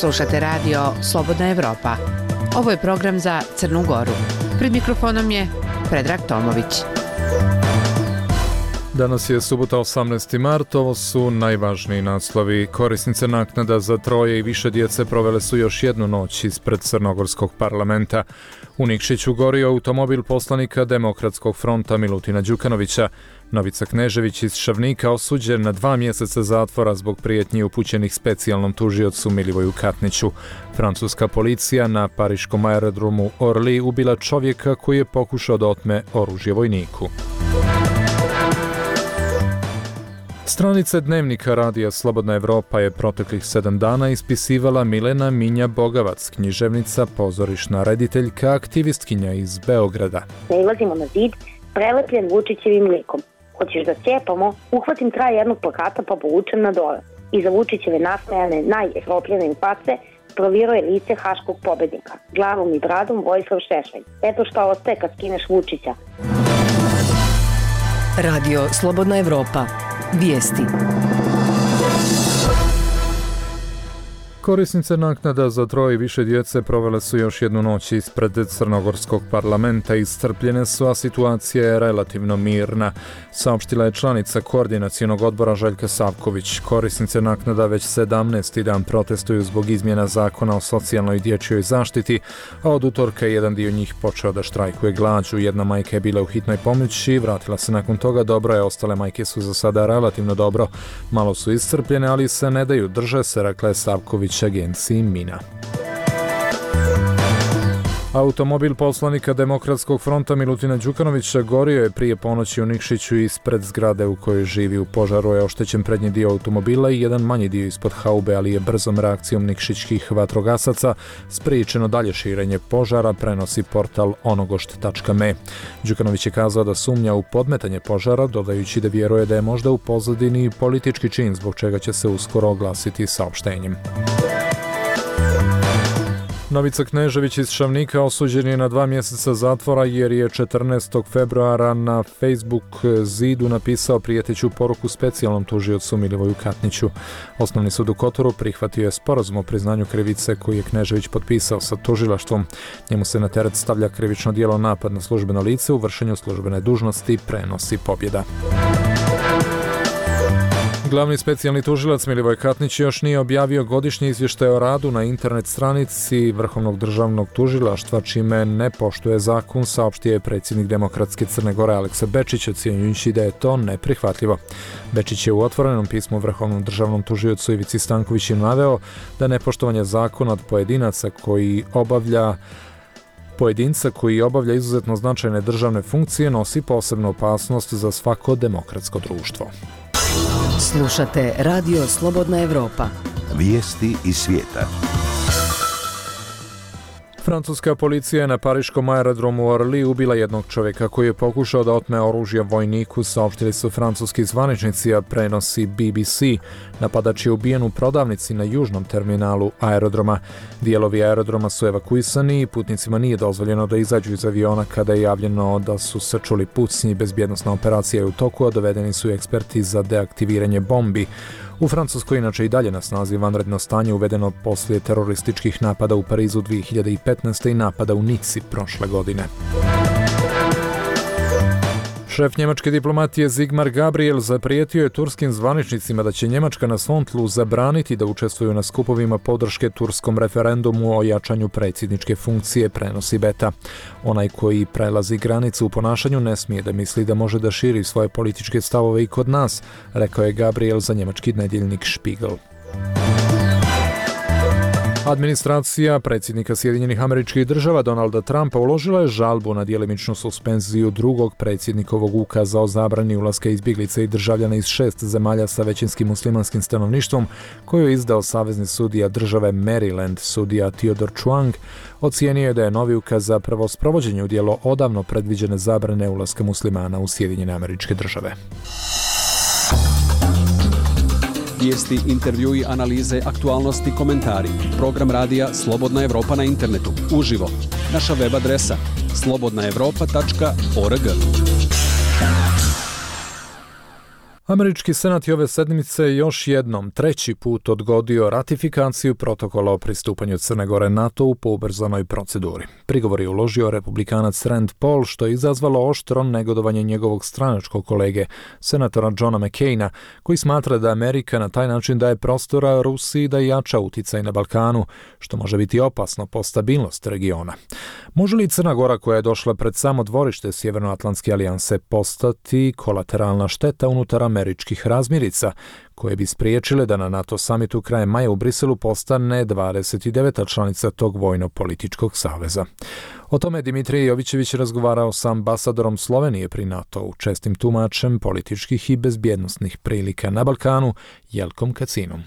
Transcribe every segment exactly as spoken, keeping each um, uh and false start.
Slušate radio Slobodna Evropa. Ovo je program za Crnu Goru. Pred mikrofonom je Predrag Tomović. Danas je subota osamnaesti mart, ovo su najvažniji naslovi. Korisnice naknada za troje i više djece provele su još jednu noć ispred Crnogorskog parlamenta. U Nikšiću gorio automobil poslanika Demokratskog fronta Milutina Đukanovića. Novica Knežević iz Šavnika osuđen na dva mjeseca zatvora zbog prijetnji upućenih specijalnom tužiocu Milivoju Katniću. Francuska policija na pariškom aerodromu Orly ubila čovjeka koji je pokušao da otme oružje vojniku. Stranice dnevnika radija Slobodna Evropa je proteklih sedam dana ispisivala Milena Minja Bogavac, književnica, pozorišna rediteljka, aktivistkinja iz Beograda. Nailazimo na zid, prelepljen Vučićevim likom. Hoćeš da cijepamo, uhvatim kraj jednog plakata pa povučem na dole. Iza Vučićeve nasmejane, najefropljene face provirao je lice haškog pobednika. Glavom i bradom Vojislav Šešelj. Eto šta ostaje kad skineš Vučića. Radio Slobodna Evropa. Vijesti. Korisnice naknada za troje i više djece provele su još jednu noć ispred Crnogorskog parlamenta. Iscrpljene su, a situacija je relativno mirna, saopštila je članica koordinacionog odbora Željka Savković. Korisnice naknada već sedamnaesti dan protestuju zbog izmjena zakona o socijalnoj i dječjoj zaštiti, a od utorka je jedan dio njih počeo da štrajkuje glađu. Jedna majka je bila u hitnoj pomoći, vratila se nakon toga dobro, je ostale majke su za sada relativno dobro. Malo su iscrpljene, ali se ne daju, drže se, rekla je Savković agenciji Mina. Automobil poslanika Demokratskog fronta Milutina Đukanovića gorio je prije ponoći u Nikšiću ispred zgrade u kojoj živi. U požaru je oštećen prednji dio automobila i jedan manji dio ispod haube, ali je brzom reakcijom nikšićkih vatrogasaca spriječeno dalje širenje požara, prenosi portal onogošt tačka me. Đukanović je kazao da sumnja u podmetanje požara, dodajući da vjeruje da je možda u pozadini politički čin, zbog čega će se uskoro oglasiti saopštenjem. Novica Knežević iz Šavnika osuđen je na dva mjeseca zatvora jer je četrnaestog februara na Facebook zidu napisao prijeteću poruku specijalnom tužiocu Milivoju Katniću. Osnovni sud u Kotoru prihvatio je sporazum o priznanju krivice koji je Knežević potpisao sa tužilaštvom. Njemu se na teret stavlja krivično djelo napad na službeno lice u vršenju službene dužnosti, prenosi Pobjeda. Glavni specijalni tužilac Milivoj Katnić još nije objavio godišnji izvještaj o radu na internet stranici Vrhovnog državnog tužilaštva, čime ne poštuje zakon, saopštio je predsjednik Demokratske Crne Gore Aleksa Bečić, ocjenjujući da je to neprihvatljivo. Bečić je u otvorenom pismu Vrhovnom državnom tužiocu Ivici Stankoviću naveo da nepoštovanje zakona od pojedinaca koji obavlja Pojedinca koji obavlja izuzetno značajne državne funkcije nosi posebnu opasnost za svako demokratsko društvo. Slušate Radio Slobodna Evropa. Vijesti iz svijeta. Francuska policija je na pariškom aerodromu Orly ubila jednog čovjeka koji je pokušao da otme oružje vojniku, saopštili su francuski zvaničnici, a prenosi B B C. Napadač je ubijen u prodavnici na južnom terminalu aerodroma. Dijelovi aerodroma su evakuisani i putnicima nije dozvoljeno da izađu iz aviona kada je javljeno da su se čuli pucnji. Bezbjednosna operacija je u toku, a dovedeni su eksperti za deaktiviranje bombi. U Francuskoj inače i dalje na snazi vanredno stanje uvedeno poslije terorističkih napada u Parizu dvije hiljade petnaeste. i napada u Nici prošle godine. Šef njemačke diplomatije Sigmar Gabriel zaprijetio je turskim zvaničnicima da će Njemačka na svom tlu zabraniti da učestvuju na skupovima podrške turskom referendumu o jačanju predsjedničke funkcije, prenosi Beta. Onaj koji prelazi granicu u ponašanju ne smije da misli da može da širi svoje političke stavove i kod nas, rekao je Gabriel za njemački nedjeljnik Spiegel. Administracija predsjednika Sjedinjenih Američkih Država Donalda Trumpa uložila je žalbu na djelimičnu suspenziju drugog predsjednikovog ukaza o zabrani ulaska izbjeglica i državljana iz šest zemalja sa većinskim muslimanskim stanovništvom, koju je izdao savezni sudija države Maryland, sudija Theodore Chuang. Ocijenio je da je novi ukaz zapravo sprovođenje u djelo odavno predviđene zabrane ulaska muslimana u Sjedinjene Američke Države. Vijesti, intervjui, analize, aktualnosti, komentari. Program radija Slobodna Evropa na internetu. Uživo. Naša web adresa slobodna evropa tačka org. Američki senat je ove sedmice još jednom treći put odgodio ratifikaciju protokola o pristupanju Crne Gore NATO-u po ubrzanoj proceduri. Prigovor je uložio republikanac Rand Paul, što je izazvalo oštro negodovanje njegovog stranačkog kolege, senatora Johna McCaina, koji smatra da Amerika na taj način daje prostora Rusiji da jača uticaj na Balkanu, što može biti opasno po stabilnost regiona. Može li Crna Gora, koja je došla pred samo dvorište Sjevernoatlantske alijanse, postati kolateralna šteta unutar američkih razmirica, koje bi spriječile da na NATO samitu krajem maja u Briselu postane dvadeset deveta članica tog vojno-političkog saveza? O tome Dimitrije Jovićević razgovarao sa ambasadorom Slovenije pri NATO-u, čestim tumačem političkih i bezbjednosnih prilika na Balkanu, Jelkom Kacinom.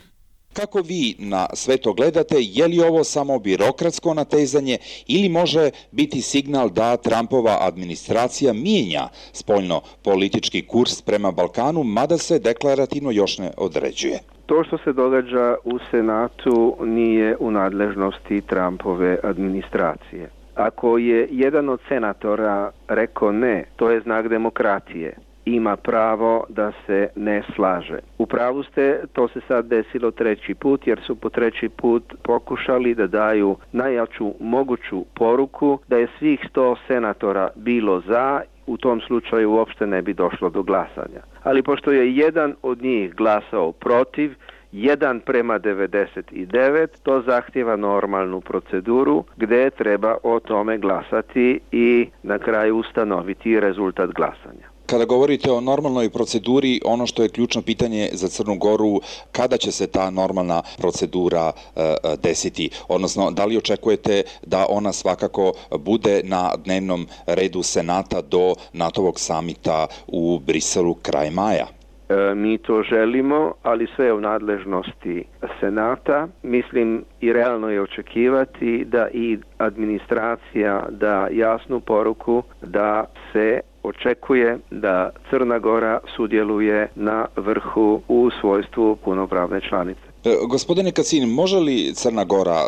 Kako vi na sve to gledate, je li ovo samo birokratsko natezanje ili može biti signal da Trumpova administracija mijenja spoljno politički kurs prema Balkanu, mada se deklarativno još ne određuje? To što se događa u Senatu nije u nadležnosti Trumpove administracije. Ako je jedan od senatora rekao ne, to je znak demokratije. Ima pravo da se ne slaže. U pravu ste, to se sad desilo treći put, jer su po treći put pokušali da daju najjaču moguću poruku da je svih sto senatora bilo za, u tom slučaju uopšte ne bi došlo do glasanja. Ali pošto je jedan od njih glasao protiv, jedan prema devedeset devet, to zahtjeva normalnu proceduru gdje treba o tome glasati i na kraju ustanoviti rezultat glasanja. Kada govorite o normalnoj proceduri, ono što je ključno pitanje za Crnu Goru, kada će se ta normalna procedura e, desiti? Odnosno, da li očekujete da ona svakako bude na dnevnom redu Senata do NATO-vog samita u Briselu kraj maja? E, mi to želimo, ali sve je u nadležnosti Senata. Mislim i realno je očekivati da i administracija da jasnu poruku da se očekuje da Crna Gora sudjeluje na vrhu u svojstvu punopravne članice. E, gospodine Kacin, može li Crna Gora, e,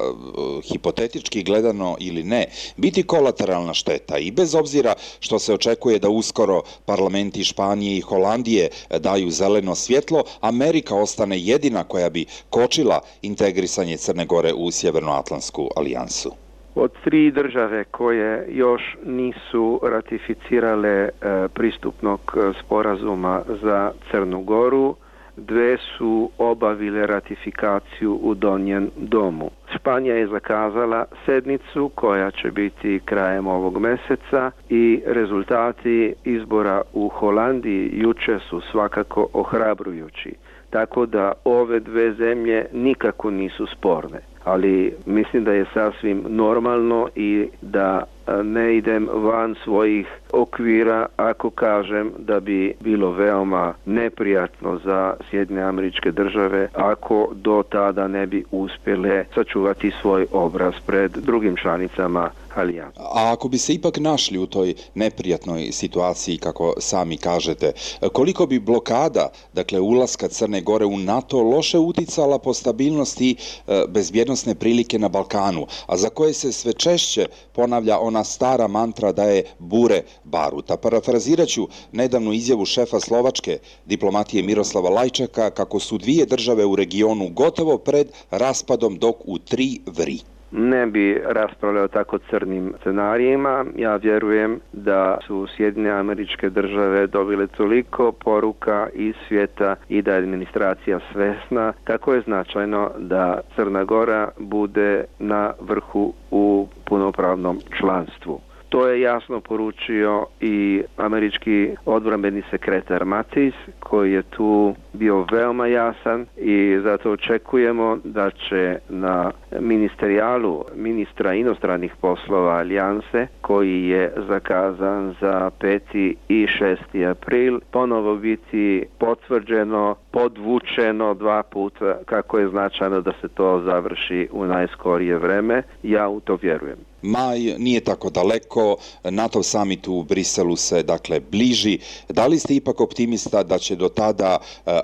hipotetički gledano ili ne, biti kolateralna šteta i bez obzira što se očekuje da uskoro parlamenti Španije i Holandije daju zeleno svjetlo, Amerika ostane jedina koja bi kočila integrisanje Crne Gore u Sjevernoatlantsku alijansu? Od tri države koje još nisu ratificirale e, pristupnog sporazuma za Crnu Goru, dve su obavile ratifikaciju u Donjem domu. Španija je zakazala sednicu koja će biti krajem ovog mjeseca i rezultati izbora u Holandiji jučer su svakako ohrabrujući. Tako da ove dve zemlje nikako nisu sporne. Ali mislim da je sasvim normalno i da ne idem van svojih okvira ako kažem da bi bilo veoma neprijatno za Sjedinjene Američke Države ako do tada ne bi uspjele sačuvati svoj obraz pred drugim članicama alijanse. A ako bi se ipak našli u toj neprijatnoj situaciji, kako sami kažete, koliko bi blokada, dakle ulaska Crne Gore u NATO, loše uticala po stabilnosti e, bezbjednosne prilike na Balkanu, a za koje se sve češće ponavlja ona stara mantra da je bure baruta. Parafrazirat ću nedavnu izjavu šefa slovačke diplomatije Miroslava Lajčaka kako su dvije države u regionu gotovo pred raspadom dok u tri vri. Ne bi raspravljao tako crnim scenarijima. Ja vjerujem da su Sjedinjene Američke Države dobile toliko poruka iz svijeta i da je administracija svesna kako je značajno da Crna Gora bude na vrhu u punopravnom članstvu. To je jasno poručio i američki odbrambeni sekretar Mattis, koji je tu bio veoma jasan i zato očekujemo da će na ministerijalu ministra inostranih poslova alijanse, koji je zakazan za peti i šesti april, ponovo biti potvrđeno, podvučeno dva puta kako je značajno da se to završi u najskorije vreme. Ja u to vjerujem. Maj nije tako daleko, NATO summit u Briselu se dakle bliži. Da li ste ipak optimista da će do tada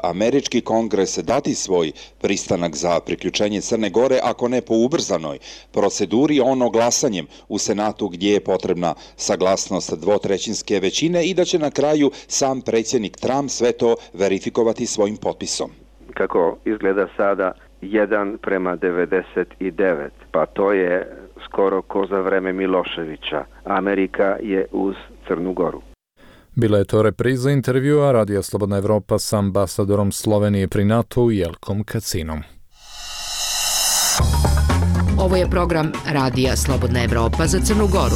američki kongres dati svoj pristanak za priključenje Crne Gore, ako ne po ubrzanoj proceduri, ono glasanjem u Senatu gdje je potrebna saglasnost dvotrećinske većine i da će na kraju sam predsjednik Trump sve to verifikovati svojim potpisom? Kako izgleda sada, jedan prema devedeset devet, pa to je skoro ko za vreme Miloševića. Amerika je uz Crnu Goru. Bila je to repriza intervjua Radija Slobodna Evropa s ambasadorom Slovenije pri NATO-u Jelkom Kacinom. Ovo je program Radija Slobodna Evropa za Crnu Goru.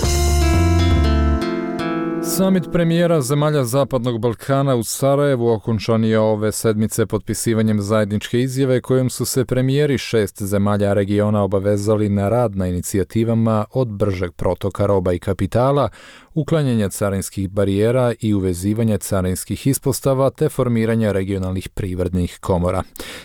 Samit premijera zemalja Zapadnog Balkana u Sarajevu okončan je ove sedmice potpisivanjem zajedničke izjave kojom su se premijeri šest zemalja regiona obavezali na rad na inicijativama od bržeg protoka roba i kapitala, uklanjanja carinskih barijera i uvezivanja carinskih ispostava te formiranja regionalnih privrednih komora.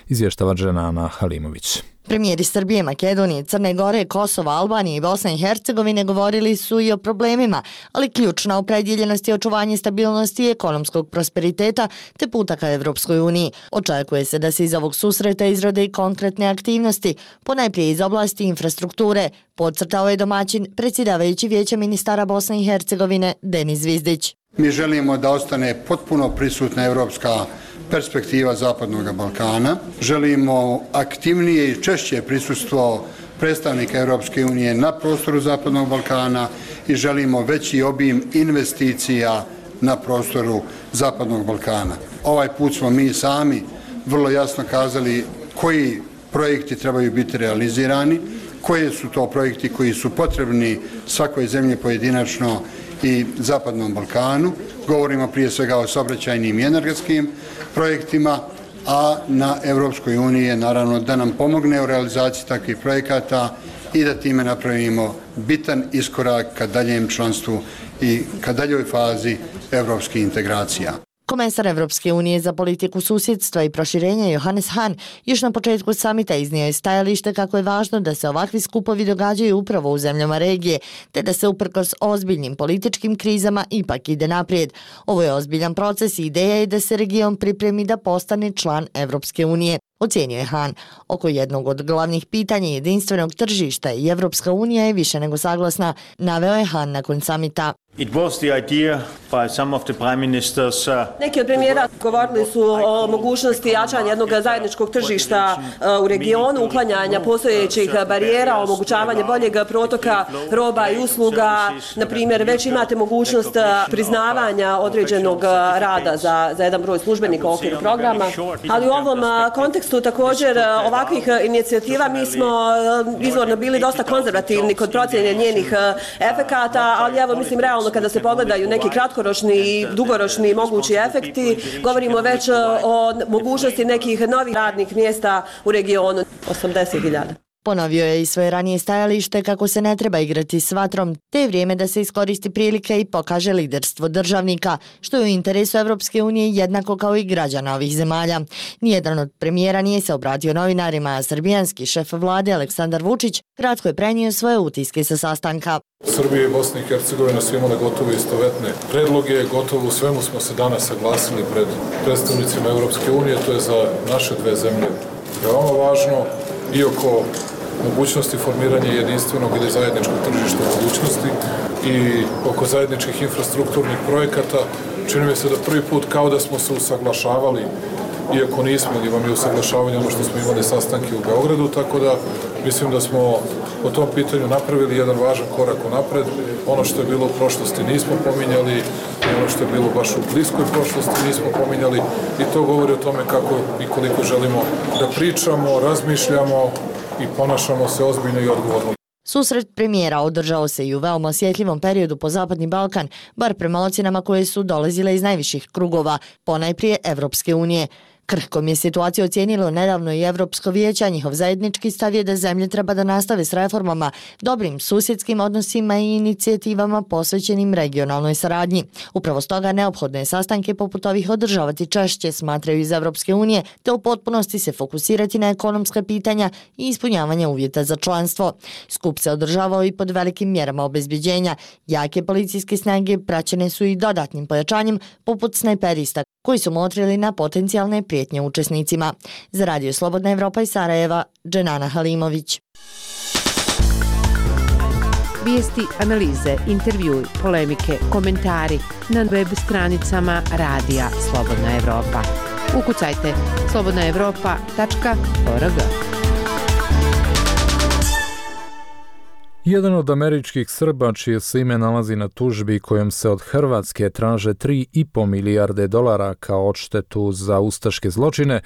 Izvještava Dženana Halimović. Premijeri Srbije, Makedonije, Crne Gore, Kosova, Albanije i Bosne i Hercegovine govorili su i o problemima, ali ključna opredjeljenost je očuvanje stabilnosti i ekonomskog prosperiteta te puta ka Evropskoj uniji. Očekuje se da se iz ovog susreta izrode i konkretne aktivnosti, ponajprije iz oblasti infrastrukture, podcrtao je domaćin predsjedavajući Vijeća ministara Bosne i Hercegovine Denis Zvizdić. Mi želimo da ostane potpuno prisutna evropska perspektiva Zapadnog Balkana. Želimo aktivnije i češće prisustvo predstavnika Europske unije na prostoru Zapadnog Balkana i želimo veći obim investicija na prostoru Zapadnog Balkana. Ovaj put smo mi sami vrlo jasno kazali koji projekti trebaju biti realizirani, koji su to projekti koji su potrebni svakoj zemlji pojedinačno i Zapadnom Balkanu. Govorimo prije svega o saobraćajnim i energetskim projektima, a na Europskoj uniji je naravno da nam pomogne u realizaciji takvih projekata i da time napravimo bitan iskorak ka daljem članstvu i ka daljoj fazi evropskih integracija. Komesar Evropske unije za politiku susjedstva i proširenja Johannes Hahn još na početku samita iznio je stajalište kako je važno da se ovakvi skupovi događaju upravo u zemljama regije, te da se uprkos ozbiljnim političkim krizama ipak ide naprijed. Ovo je ozbiljan proces i ideja je da se region pripremi da postane član Evropske unije, ocijenio je Hahn. Oko jednog od glavnih pitanja jedinstvenog tržišta i Evropska unija je više nego saglasna, naveo je Hahn nakon samita. It was the idea by some of the prime ministers. Uh, Neki od premijera govorili su o mogućnosti jačanja jednog zajedničkog tržišta uh, u regionu, uklanjanja postojećih barijera, omogućavanje boljeg protoka roba i usluga. Na primjer, već imate mogućnost priznavanja određenog rada za, za jedan broj službenika u okviru programa. Ali u ovom kontekstu također ovakvih inicijativa mi smo izvorno bili dosta konzervativni kod procjene njenih efekata, ali evo mislim realno kada se pogledaju neki kratkoročni i dugoročni mogući efekti, govorimo već o mogućnosti nekih novih radnih mjesta u regionu, osamdeset hiljada. Ponovio je i svoje ranije stajalište kako se ne treba igrati s vatrom, te je vrijeme da se iskoristi prilike i pokaže liderstvo državnika, što je u interesu Evropske unije jednako kao i građana ovih zemalja. Nijedan od premijera nije se obratio novinarima, a srbijanski šef vlade Aleksandar Vučić kratko je prenio svoje utiske sa sastanka. Srbija i Bosna i Hercegovina su imale gotovo istovetne predloge, gotovo u svemu smo se danas saglasili pred predstavnicima Evropske unije, to je za naše dve zemlje veoma važno i oko mogućnosti formiranja jedinstvenog ili zajedničkog tržišta u budućnosti i oko zajedničkih infrastrukturnih projekata. Čini mi se da prvi put kao da smo se usaglašavali, iako nismo, ili vam je usaglašavanje ono što smo imali sastanke u Beogradu, tako da mislim da smo po tom pitanju napravili jedan važan korak u napred. Ono što je bilo u prošlosti nismo pominjali, ono što je bilo baš u bliskoj prošlosti nismo pominjali i to govori o tome kako i koliko želimo da pričamo, razmišljamo i ponašamo se ozbiljno i odgovorno. Susret premijera održao se i u veoma osjetljivom periodu po Zapadni Balkan, bar prema ocjenama koje su dolazile iz najviših krugova, ponajprije Evropske unije. Krhkom je situaciju ocijenilo nedavno i Evropsko vijeće, a njihov zajednički stav je da zemlje treba da nastave s reformama, dobrim susjedskim odnosima i inicijativama posvećenim regionalnoj saradnji. Upravo stoga neophodno je sastanke poput ovih održavati češće, smatraju iz Evropske unije, te u potpunosti se fokusirati na ekonomska pitanja i ispunjavanje uvjeta za članstvo. Skup se održavao i pod velikim mjerama obezbeđenja. Jake policijske snage praćene su i dodatnim pojačanjem poput snajperista koji su motrili na potencijalne prijetnje učesnicima. Za Radio Slobodna Evropa iz Sarajeva, Dženana Halimović. Vijesti, analize, intervjui, polemike, komentari na web stranicama Radija Slobodna Evropa. Ukucajte slobodna evropa tačka org. Jedan od američkih Srba, čije se ime nalazi na tužbi kojom se od Hrvatske traže tri i po milijarde dolara kao odštetu za ustaške zločine,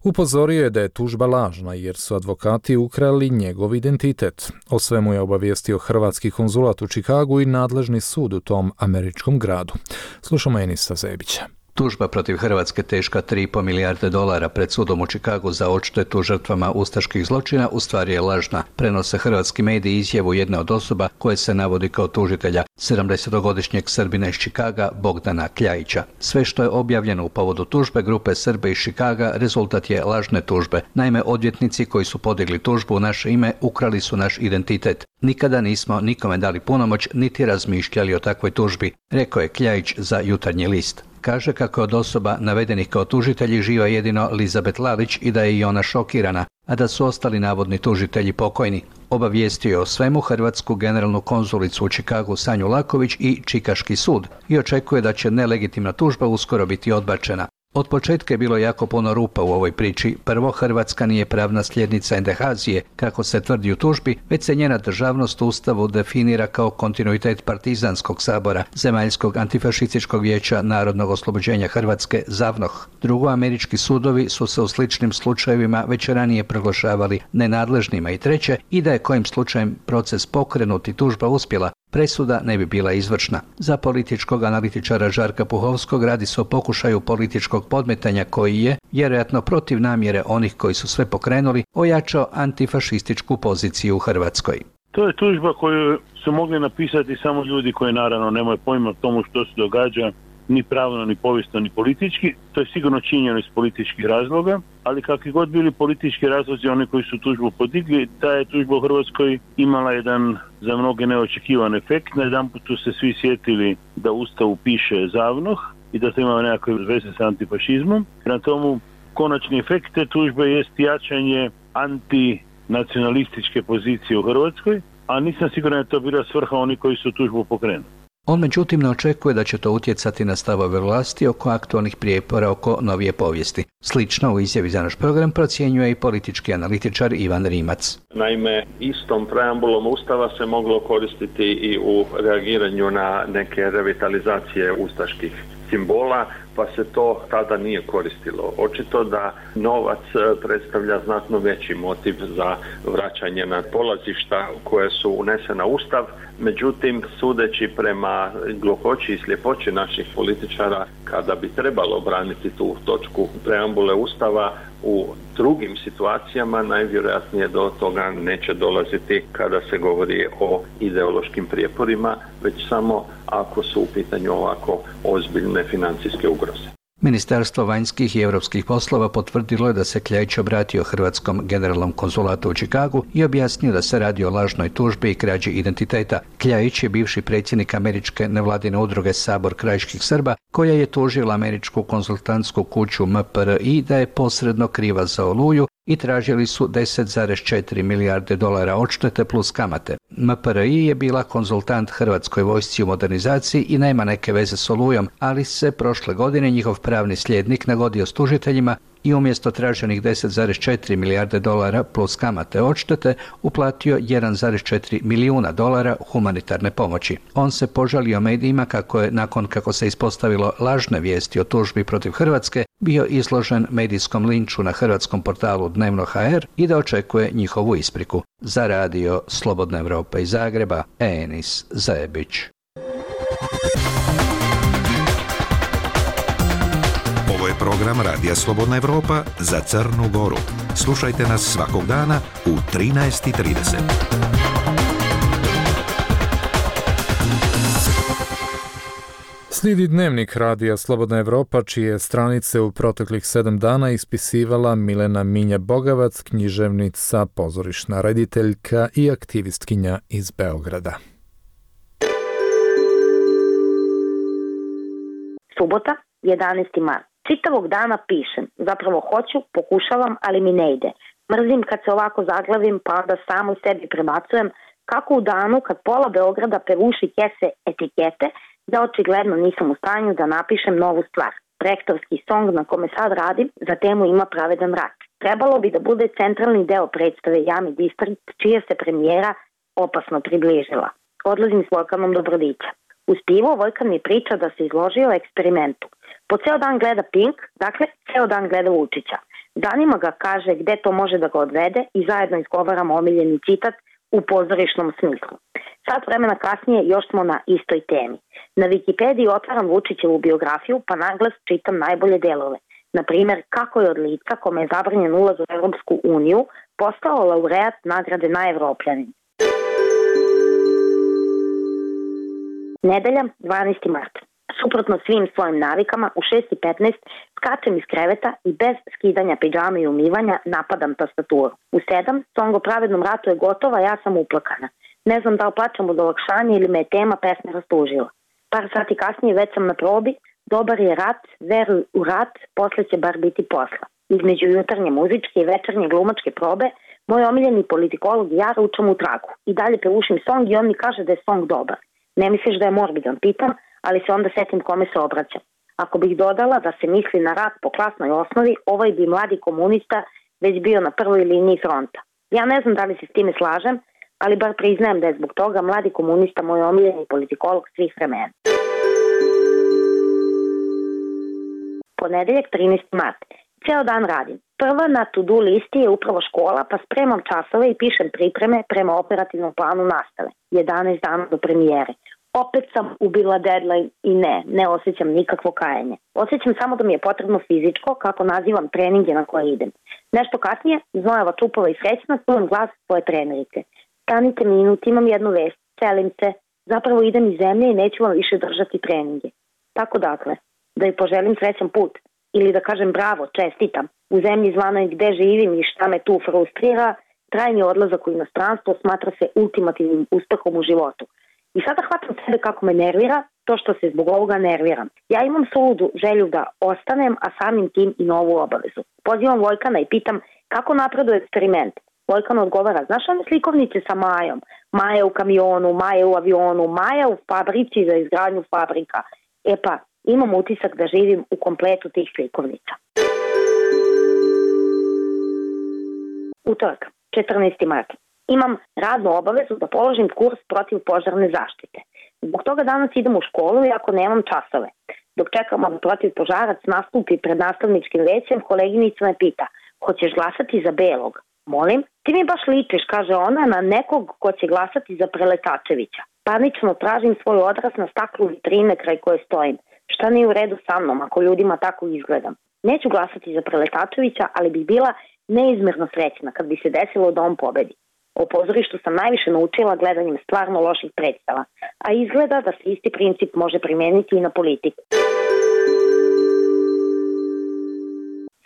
upozorio je da je tužba lažna jer su advokati ukrali njegov identitet. O svemu je obavijestio hrvatski konzulat u Čikagu i nadležni sud u tom američkom gradu. Slušamo Enisa Zebića. Tužba protiv Hrvatske teška tri i po milijarde dolara pred sudom u Čikagu za odštetu žrtvama ustaških zločina u stvari je lažna. Prenose hrvatski mediji izjavu jedne od osoba koje se navodi kao tužitelja, sedamdesetogodišnjeg Srbina iz Čikaga Bogdana Kljajića. Sve što je objavljeno u povodu tužbe grupe Srbe iz Čikaga rezultat je lažne tužbe. Naime, odvjetnici koji su podigli tužbu u naše ime ukrali su naš identitet. Nikada nismo nikome dali punomoć niti razmišljali o takvoj tužbi, rekao je Kljajić za Jutarnji list. Kaže kako je od osoba navedenih kao tužitelji živa jedino Lizabet Lalić i da je i ona šokirana, a da su ostali navodni tužitelji pokojni. Obavijestio je o svemu hrvatsku generalnu konzulicu u Čikagu Sanju Laković i Čikaški sud i očekuje da će nelegitimna tužba uskoro biti odbačena. Od početka je bilo jako puno rupa u ovoj priči. Prvo, Hrvatska nije pravna sljednica Endehazije, kako se tvrdi u tužbi, već se njena državnost u Ustavu definira kao kontinuitet Partizanskog sabora, Zemaljskog antifašističkog vijeća narodnog oslobođenja Hrvatske, ZAVNOH. Drugo, američki sudovi su se u sličnim slučajevima već ranije proglašavali nenadležnima. I treće, i da je kojim slučajem proces pokrenut i tužba uspjela, presuda ne bi bila izvršna. Za političkog analitičara Žarka Puhovskog radi se o pokušaju političkog podmetanja koji je, vjerojatno protiv namjere onih koji su sve pokrenuli, ojačao antifašističku poziciju u Hrvatskoj. To je tužba koju su mogli napisati samo ljudi koji naravno nemaju pojma o tomu što se događa, ni pravno, ni povijesno, ni politički. To je sigurno činjeno iz političkih razloga, ali kakvi god bili politički razlozi, oni koji su tužbu podigli, ta je tužba u Hrvatskoj imala jedan za mnoge neočekivan efekt. Na jedan put su se svi sjetili da u Ustavu piše ZAVNOH i da to ima nekakve veze sa antifašizmom. Na tomu konačni efekt te tužbe jest jačanje antinacionalističke pozicije u Hrvatskoj, a nisam siguran da je to bila svrha oni koji su tužbu pokrenuli. On međutim ne očekuje da će to utjecati na stavove vlasti oko aktualnih prijepora oko novije povijesti. Slično u izjavi za naš program procjenjuje i politički analitičar Ivan Rimac. Naime, istom preambulom Ustava se moglo koristiti i u reagiranju na neke revitalizacije ustaških simbola, pa se to tada nije koristilo. Očito da novac predstavlja znatno veći motiv za vraćanje na polazišta koje su unesena u Ustav. Međutim, sudeći prema gluhoći i sljepoći naših političara, kada bi trebalo braniti tu točku preambule Ustava, u drugim situacijama najvjerojatnije do toga neće dolaziti kada se govori o ideološkim prijeporima, već samo ako su u pitanju ovako ozbiljne financijske ugroze. Ministarstvo vanjskih i europskih poslova potvrdilo je da se Kljajić obratio hrvatskom generalnom konzulatu u Čikagu i objasnio da se radi o lažnoj tužbi i krađi identiteta. Kljajić je bivši predsjednik američke nevladine udruge Sabor krajiških Srba, koja je tužila američku konzultantsku kuću M P R I da je posredno kriva za Oluju i tražili su deset zarez četiri milijarde dolara odštete plus kamate. M P R I je bila konzultant Hrvatskoj vojsci u modernizaciji i nema neke veze s Olujom, ali se prošle godine njihov pravni slijednik nagodio s tužiteljima i umjesto traženih deset zarez četiri milijarde dolara plus kamate odštete uplatio jedan zarez četiri milijuna dolara humanitarne pomoći. On se požalio medijima kako je, nakon kako se ispostavilo lažne vijesti o tužbi protiv Hrvatske, bio izložen medijskom linču na hrvatskom portalu Dnevno H R i da očekuje njihovu ispriku. Za radio Slobodna Evropa iz Zagreba, Enis Zebić. Ovo je program program Radija Slobodna Evropa za Crnu Goru. Slušajte nas svakog dana u trinaest i trideset. Slijedi dnevnik Radija Slobodna Evropa, čije stranice u proteklih sedam dana ispisivala Milena Minja-Bogavac, književnica, pozorišna rediteljka i aktivistkinja iz Beograda. Subota, jedanaesti mart. Čitavog dana pišem. Zapravo hoću, pokušavam, ali mi ne ide. Mrzim kad se ovako zaglavim, pa onda samo sebi prebacujem kako u danu kad pola Beograda pevuši kese etikete, da očigledno nisam u stanju da napišem novu stvar. Rektorski song na kome sad radim za temu ima Pravedan rat. Trebalo bi da bude centralni deo predstave Jami Distrikt, čija se premijera opasno približila. Odlazim s Vojkanom do Brodića. Uz pivo Vojkan mi priča da se izložio eksperimentu. Po ceo dan gleda Pink, dakle ceo dan gleda Vučića. Danima ga kaže gde to može da ga odvede i zajedno izgovaramo omiljeni citat u pozorišnom smislu. Sat vremena kasnije još smo na istoj temi. Na Wikipediji otvaram Vučićevu biografiju pa naglas čitam najbolje delove. Na primjer, kako je od lica kome je zabranjen ulaz u Evropsku uniju postao laureat nagrade Najevropljanin. Nedelja, dvanaesti mart. Suprotno svim svojim navikama, u šest i petnaest skačem iz kreveta i bez skidanja pidžame i umivanja napadam tastaturu. U sedam, song o pravednom ratu je gotova, ja sam uplakana. Ne znam da li plačem od olakšanja ili me je tema pesme rastužila. Par sati kasnije već sam na probi, dobar je rat, veruj u rat, posle će bar biti posla. Između jutarnje muzičke i večernje glumačke probe, moj omiljeni politikolog i ja ručam u traku. I dalje pevušim song i on mi kaže da je song dobar. Ne misliš da je morbidan, pitam, ali se onda setim kome se obraćam. Ako bih dodala da se misli na rat po klasnoj osnovi, ovaj bi mladi komunista već bio na prvoj liniji fronta. Ja ne znam da li se s time slažem, ali bar priznajem da je zbog toga mladi komunista moj omiljeni politikolog svih vremena. Ponedeljak, trinaesti mart. Ceo dan radim. Prva na to-do listi je upravo škola, pa spremam časove i pišem pripreme prema operativnom planu nastave. jedanaest dana do premijere. Opet sam ubila deadline i ne, ne osjećam nikakvo kajanje. Osjećam samo da mi je potrebno fizičko, kako nazivam treninge na koje idem. Nešto kasnije, znojava čupova i srećna, čujem glas svoje trenerice. Stanite minut, imam jednu vest, celim se, zapravo idem iz zemlje i neću vam više držati treninge. Tako dakle, da joj poželim srećan put, ili da kažem bravo, čestitam, u zemlji zvanoj gde živim i šta me tu frustrira, trajni odlazak u inostranstvo smatra se ultimativnim uspehom u životu. I sada hvatam sebe kako me nervira, to što se zbog ovoga nerviram. Ja imam suludu želju da ostanem, a samim tim i novu obavezu. Pozivam Vojkana i pitam kako napreduje eksperiment. Vojkan odgovara, znaš one slikovnice sa Majom? Maja u kamionu, Maja u avionu, Maja u fabrici za izgradnju fabrika. E pa, imam utisak da živim u kompletu tih slikovnica. Utorak, četrnaesti mart. Imam radnu obavezu da položim kurs protiv požarne zaštite. Zbog toga danas idem u školu iako nemam časove. Dok čekamo da protiv požarac nastupi pred nastavničkim većem, koleginica me pita, hoćeš glasati za Belog? Molim, ti mi baš ličiš, kaže ona, na nekog ko će glasati za Preletačevića. Panično tražim svoj odraz na staklu vitrine kraj koje stojim. Šta nije u redu sa mnom ako ljudima tako izgledam? Neću glasati za Preletačevića, ali bih bila neizmerno srećna kad bi se desilo da on pobedi. O pozorištu sam najviše naučila gledanjem stvarno loših predstava, a izgleda da se isti princip može primijeniti i na politiku.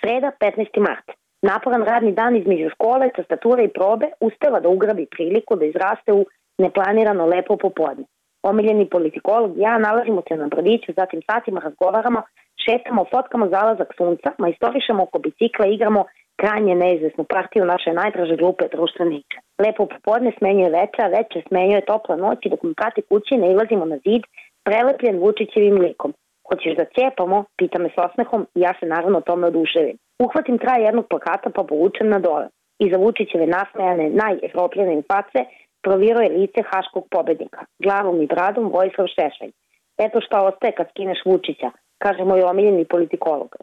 Sreda, petnaesti mart. Naporan radni dan između škole, tastature i probe uspeva da ugrabi priliku da izraste u neplanirano lepo popodne. Omiljeni politikolog i ja nalazimo se na Brodiću, zatim satima razgovaramo, šetamo, fotkamo zalazak sunca, majstorišemo oko bicikla, igramo krajnje neizvesnu partiju naše najdraže grupe društvene igre. Lepo popodne smenjuje veče, a veče smenjuje topla noć i dok mi prati kući ne ilazimo na zid prelepljen Vučićevim likom. Hoćeš da cijepamo? Pita me s osmehom i ja se naravno tome oduševim. Uhvatim kraj jednog plakata pa povučem na dole. Iza Vučićeve nasmejane najevropljene face proviruje lice haškog pobednika. Glavom i bradom Vojislav Šešelj. Eto šta ostaje kad skineš Vučića, kaže moj omiljeni politikolog.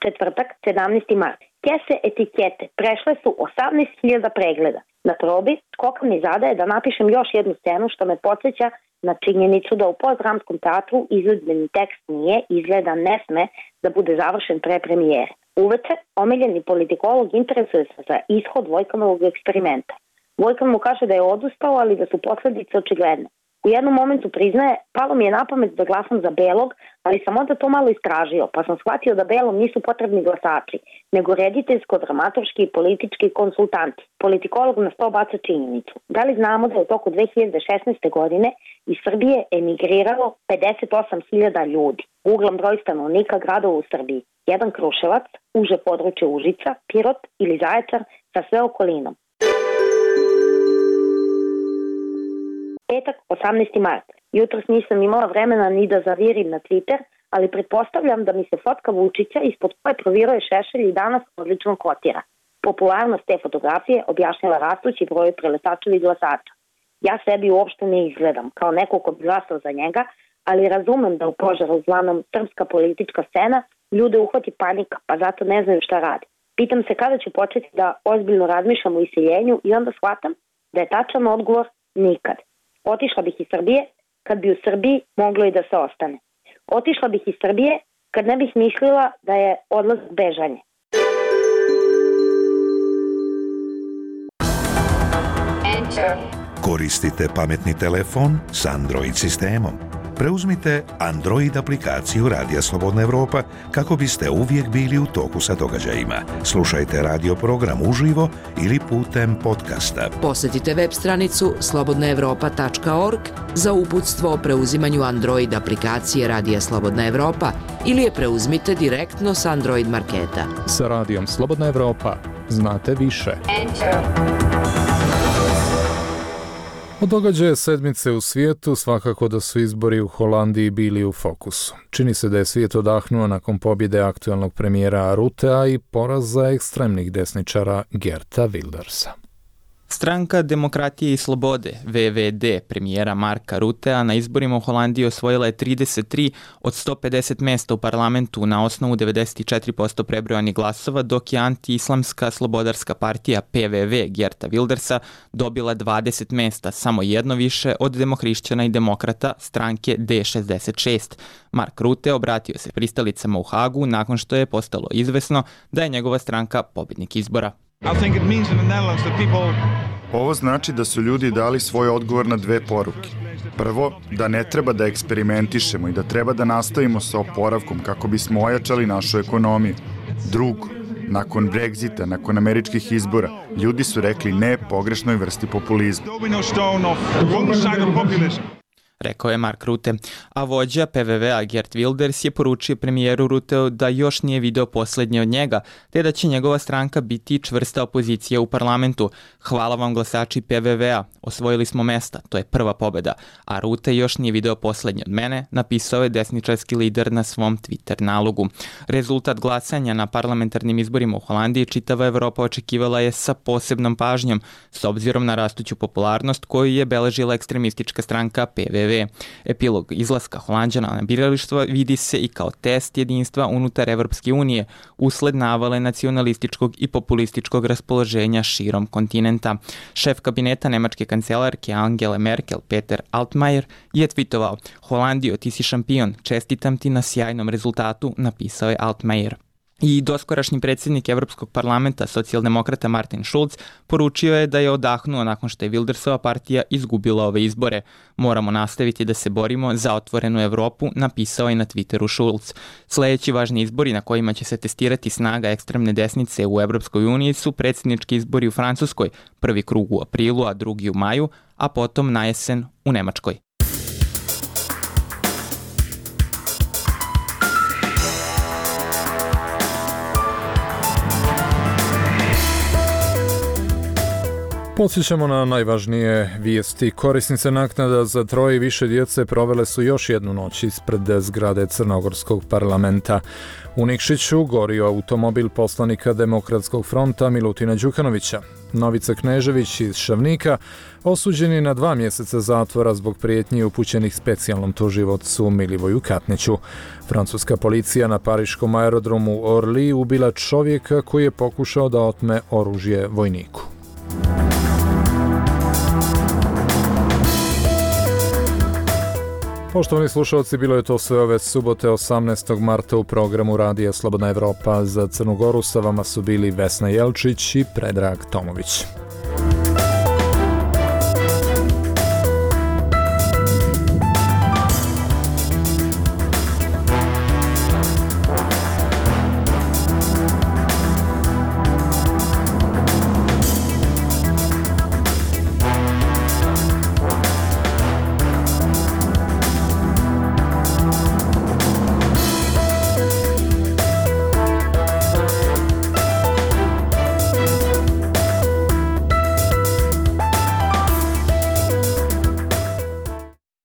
Četvrtak, sedamnaesti mart. Kese etikete prešle su osamnaest hiljada pregleda. Na probi skoka mi zadaje da napišem još jednu scenu što me podsjeća na činjenicu da u postdramskom teatru izvedbeni tekst nije, izgleda ne sme da bude završen pre premijere. Uveče, omiljeni politikolog interesuje se za ishod Vojkanovog eksperimenta. Vojkan mu kaže da je odustao, ali da su posledice očigledne. U jednom momentu priznaje, palo mi je na pamet da glasam za Belog, ali sam onda to malo istražio, pa sam shvatio da Belom nisu potrebni glasači, nego rediteljsko-dramaturški i politički konsultanti. Politikolog nas to baca činjenicu. Da li znamo da je u toku dve hiljade šesnaeste. godine iz Srbije emigriralo pedeset osam hiljada ljudi, uglavnom broj stanovnika gradova u Srbiji. Jedan Kruševac, uže područje Užica, Pirot ili Zaječar sa sve okolinom. Petak, osamnaesti mart. Jutros nisam imala vremena ni da zavirim na Twitter, ali pretpostavljam da mi se fotka Vučića ispod koje proviruje šešelj i danas odlično kotira. Popularnost te fotografije objašnjava rastući broj preletačevi glasača. Ja sebi uopšte ne izgledam kao neko ko bi glasao za njega, ali razumem da u požaru zvanom srpska politička scena ljude uhvati panika, pa zato ne znaju šta radi. Pitam se kada ću početi da ozbiljno razmišljam o iseljenju i onda shvatam da je tačan odgovor nikad. Otišla bih iz Srbije kad bi u Srbiji moglo i da se ostane. Otišla bih iz Srbije kad ne bih mislila da je odlazak bežanje. Koristite pametni telefon s Android sistemom. Preuzmite Android aplikaciju Radija Slobodna Evropa kako biste uvijek bili u toku sa događajima. Slušajte radio program uživo ili putem podcasta. Posjetite web stranicu slobodna evropa tačka org za uputstvo o preuzimanju Android aplikacije Radija Slobodna Evropa ili je preuzmite direktno s Android marketa. Sa Radijom Slobodna Evropa znate više. Od događaja sedmice u svijetu svakako da su izbori u Holandiji bili u fokusu. Čini se da je svijet odahnuo nakon pobjede aktualnog premijera Ruttea i poraza ekstremnih desničara Geerta Wildersa. Stranka Demokratije i slobode, V V D, premijera Marka Ruttea na izborima u Holandiji osvojila je trideset tri od sto pedeset mjesta u parlamentu na osnovu devedeset četiri posto prebrojanih glasova, dok je anti-islamska slobodarska partija P V V Geerta Wildersa dobila dvadeset mjesta, samo jedno više od demohrišćana i demokrata stranke D šezdeset šest. Mark Rutte obratio se pristalicama u Hagu nakon što je postalo izvesno da je njegova stranka pobjednik izbora. Ovo znači da su ljudi dali svoj odgovor na dve poruke. Prvo, da ne treba da eksperimentišemo i da treba da nastavimo sa oporavkom kako bismo ojačali našu ekonomiju. Drugo, nakon Brexita, nakon američkih izbora, ljudi su rekli ne pogrešnoj vrsti populizma. Rekao je Mark Rutte, a vođa P V V-a Geert Wilders je poručio premijeru Rutteu da još nije video posljednje od njega, te da će njegova stranka biti čvrsta opozicija u parlamentu. Hvala vam glasači P V V-a, osvojili smo mesta, to je prva pobjeda, a Rutte još nije video posljednje od mene, napisao je desničarski lider na svom Twitter nalogu. Rezultat glasanja na parlamentarnim izborima u Holandiji čitava Evropa očekivala je sa posebnom pažnjom, s obzirom na rastuću popularnost koju je beležila ekstremistička stranka P V V. Epilog izlaska Holanđana na biralištvo vidi se i kao test jedinstva unutar Evropske unije usled navale nacionalističkog i populističkog raspoloženja širom kontinenta. Šef kabineta nemačke kancelarke Angele Merkel, Peter Altmaier, je twitovao: Holandijo, ti si šampion, čestitam ti na sjajnom rezultatu, napisao je Altmaier. I doskorašnji predsjednik Evropskog parlamenta, socijaldemokrata Martin Schulz, poručio je da je odahnuo nakon što je Wildersova partija izgubila ove izbore. Moramo nastaviti da se borimo za otvorenu Evropu, napisao je na Twitteru Schulz. Sljedeći važni izbori na kojima će se testirati snaga ekstremne desnice u Evropskoj uniji su predsjednički izbori u Francuskoj, prvi krug u aprilu, a drugi u maju, a potom na jesen u Nemačkoj. Podsjećamo na najvažnije vijesti. Korisnice naknada za troje i više djece provele su još jednu noć ispred zgrade Crnogorskog parlamenta. U Nikšiću gorio automobil poslanika Demokratskog fronta Milutina Đukanovića. Novica Knežević iz Šavnika osuđen je na dva mjeseca zatvora zbog prijetnji upućenih specijalnom tužiocu Milivoju Katniću. Francuska policija na pariškom aerodromu Orly ubila čovjeka koji je pokušao da otme oružje vojniku. Poštovani slušalci, bilo je to sve ove subote osamnaestog marta u programu Radija Slobodna Evropa. Za Crnu Goru sa vama su bili Vesna Jelčić i Predrag Tomović.